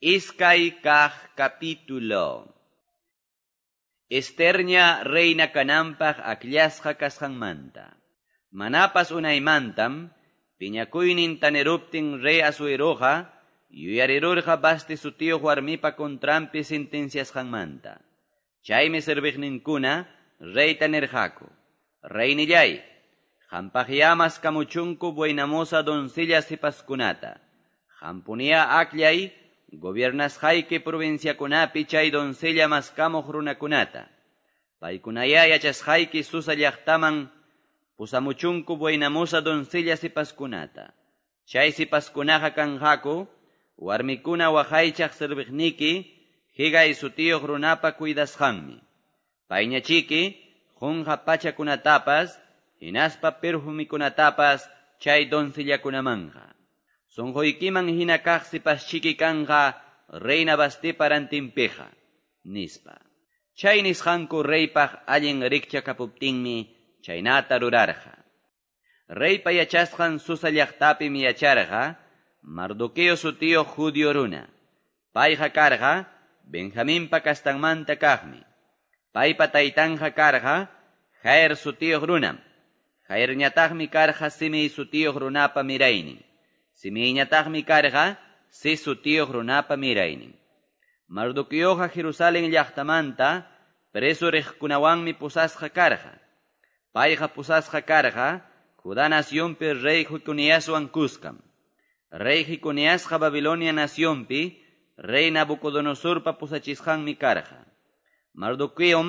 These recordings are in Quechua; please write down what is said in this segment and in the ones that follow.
Iskay kaq capítulo. Esterña reina kananpaq akllasqa kasqanmanta. Manapas unaymantam, piñakuynin taneruptin rey Asueroqa, yuyarirurqa Vasti sutiyuq warmipa contranpi sentenciasqanmanta. Chaymi serviqninkuna reyta nirqaku: Reynillay, qampaqyá maskamuchunku buenamoza doncella sipaskunata. Qampunia akllay gobiernasqayki provinciakunapi chay doncella maskamuq runakunata. Paykunaya yachasqayki Susa llaqtaman pusamuchunku buenamoza doncella sipaskunata. Chay sipaskunaqa kanqaku warmikuna waqaychaq serviqniki Hegay sutiyuq runapa cuidasqanmi. Payñachiki qunqa pachakunatapas hinaspa perfumikunatapas chay doncellakunamanqa. Sunquykiman hina kaq sipaschiki kanqa reina Vastipa rantinpiqa, nispa. Chay nisqanku reypaq allin rikchakapuptinmi chaynata rurarqa. Reypa yachasqan Susa llaqtapim yacharqa Mardoqueo sutiyuq judío runa. Payqa karqa Benjaminpa kastanmanta kaqmi. Paypa taytanja karqa Jair sutiyuq runam. Jairñataqmi karqa Simei sutiyuq runapa miraynin. Simeiñataqmi karqa Cis sutiyuq runapa miraynin. Mardoqueoqa Jerusalén llaqtamanta preso riqkunawanmi pusasqa karqa. Payqa pusasqa karqa Judá nacionpi rey Jeconiaswan kuskam. Rey Jeconiasqa Babilonia nacionpi rey Nabucodonosorpa pusachisqanmi karqa. Mardoqueom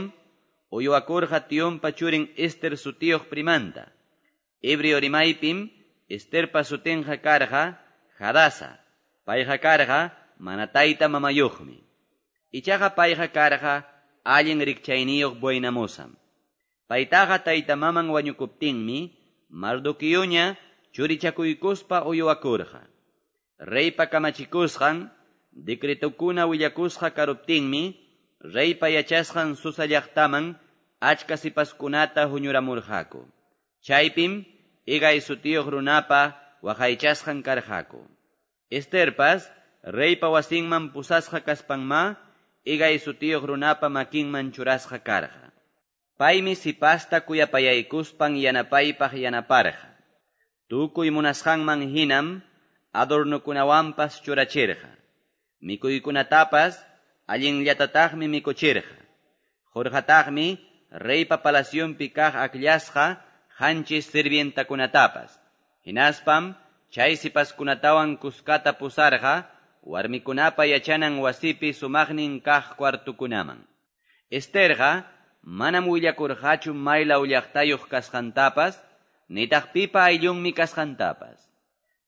uywakurqa tionpa churin Ester sutiyuq primanta. Hebreo rimaypim Esterpa sutinqa karqa Hadasa. Payqa karqa mana tayta mamayuqmi. Ichaqa payqa karqa allin rikchayniyuq buenamosam. Paytaqa tayta maman wañukuptinmi Mardoqueoña churichakuykuspa uywakurqa. Reypa kamachikusqan decretokuna willakusqa karuptinmi reypa yachasqan Susa llaqtaman achka sipaskunata huñuramurqaku. Chaypim Hegay sutiyuq runapa waqaychasqan karqaku. Esterpas reypa wasinman pusasqa kaspanma Hegay sutiyuq runapa makinman churasqa karqa. Paymi sipasta kuyapayaykuspan yanapaypaq yanaparqa. Tukuy munasqanman hinam adornokunawanpas churachirqa. Mikuykunatapas allinllatataqmi mikuchirqa. Qurqataqmi reypa palacionpi kaq akllasqa qanchis sirvientakunatapas. Hinaspam chay sipaskunatawan kuskata pusarqa warmikunapa yachanan wasipi sumaqnin kaq cuartukunaman. Esterqa manam willakurqachu maylaw llaqtayuq kasqantapas, nitaq pipa ayllunmi kasqantapas.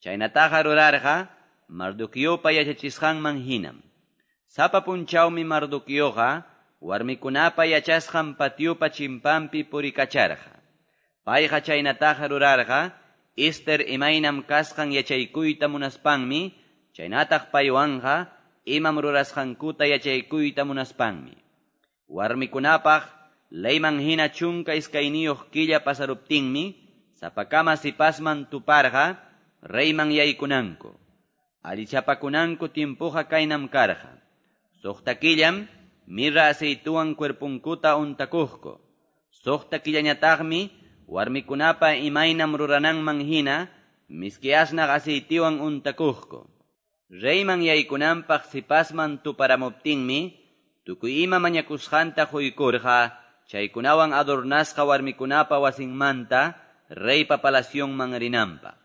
Chaynataqa rurarqa Mardoqueopa yachachisqanman hinam. Sapa punchawmi Mardoqueoqa warmikunapa yachasqan patiopa chimpanpi purikacharqa. Payqa chaynataqa rurarqa Ester imaynam kasqan yachaykuyta munaspanmi, chaynataq paywanqa imam rurasqankuta yachaykuyta munaspanmi. Warmikunapaq leyman hina 12 killa pasaruptinmi, sapakama sipasman tuparqa reyman yaykunanku. Allichapakunanku tiempoqa kaynam karqa. 6 killam mirra aceituwan cuerpunkuta untakuqku. 6 killañataqmi warmikunapa imaynam rurananman hina miski asnaq aceitiwan untakuqku. Reyman yaykunanpaq sipasman tuparamuptinmi, tukuy ima mañakusqanta quykurqa, chaykunawan adornasqa warmikunapa wasinmanta reypa palacionman rinanpaq.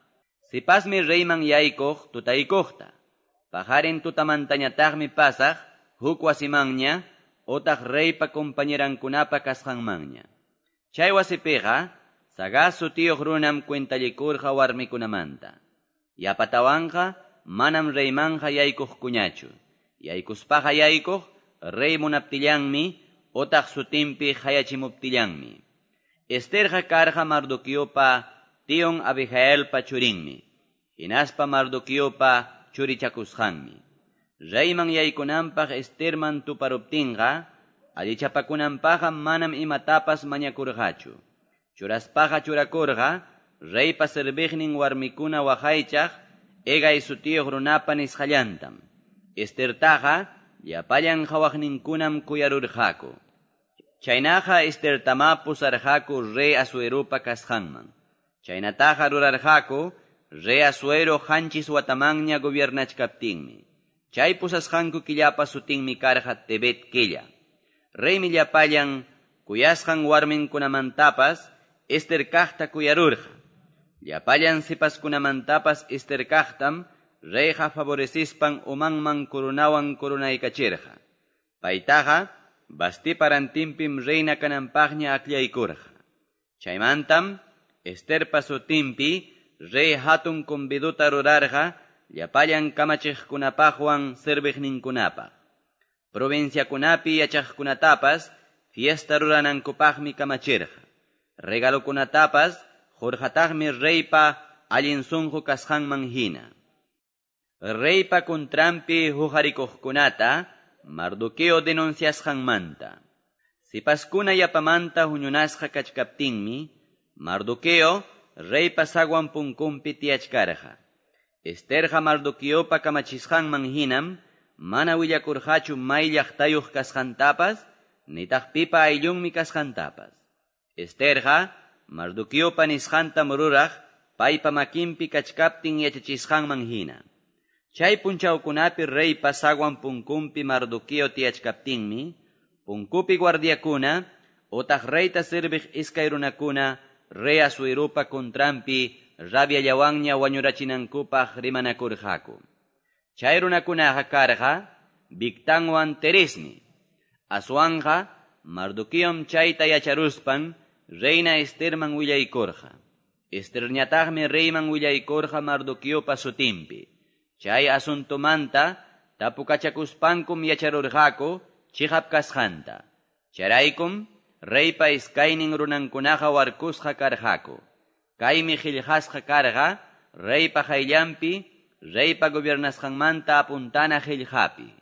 Sipasmi reyman yaykuq tutaykuqta. Pajarin tutamantañataqmi pasaq huk wasimanña otaq reypa compañerankunapa kasqanmanña. Chay wasipiqa Sagaz sutiyuq runam cuentallikurqa warmikunamanta. Yapatawanqa manam reymanqa yaykuqkuñachu. Yaykuspaqa yaykuq rey munaptillanmi otaq sutinpi hayachimuptillanmi. Esterqa karqa Mardoqueopa tion Abigailpa churinmi. Hinaspa Mardoqueopa churichakusqanmi. Reyman yaykunanpaq Esterman tuparuptinqa allichapakunanpaqqa manam imatapas mañakurqachu. Churaspaqa churakurqa reypa serviqnin warmikuna waqaychaq Hegay sutiyuq runapa nisqallantam. Estertaqa llapallan qawaqninkunam kuyarurqaku. Chaynaqa Estertamá pusarqaku rey Asueropa kasqanman. Chaynataqa rurarqaku rey Asuero 7 watamanña gobiernachkaptinmi. Chay pusasqanku killapa sutinmi karqa Tebet killa. Reymi llapallan kuyasqan warminkunamantapas Ester kaqta kuyarurqa. Llapallan sipaskunamantapas Ester kaqtam reyqa favorecispan umanman corunawan corunaykachirqa. Paytaqa Vastipa rantinpim reina kananpaqña akllaykurqa. Chaymantam Esterpa sutinpi rey hatun conviduta rurarqa llapallan kamachiqkunapaqwan serviqninkunapaq. Provinciakunapi yachaqkunatapas fiesta ruranankupaqmi kamachirqa. Regalokunatapas qurqataqmi reypa allin sunqu kasqanman hina. Reypa contranpi huqarikuqkunata Mardoqueo denunciasqanmanta. Sipaskuna yapamanta huñunasqa kachkaptinmi, Mardoqueo reypa sagwan punkunpi tiyachkarqa. Esterqa Mardoqueopa kamachisqanman hinam mana willakurqachu may llaqtayuq kasqantapas, nitaq pipa ayllunmi kasqantapas. Esterqa Mardoqueopa nisqantam ruraq paypa makinpi kachkaptin yachachisqanman hina. Chay punchawkunapi reypa sagwan punkunpi Mardoqueo tiyachkaptinmi, punkupi guardiakuna, otaq reyta serviq iskay runakuna, rey Asueropa contranpi rabiallawanña wañurachinankupaq rimanakurqaku. Chay runakunaqa karqa Bigtanwan Teresmi. Aswanqa Mardoqueom chayta yacharuspan reina Esterman willaykurqa. Esterñataqmi reyman willaykurqa Mardoqueopa sutinpi. Chay asuntomanta tapukachakuspankum yacharurqaku chiqap kasqanta. Chayraykum reypa iskaynin runankunaqa warkusqa karqaku. Kaymi qillqasqa karqa reypa qayllanpi reypa gobiernasqanmanta apuntana qillqapi.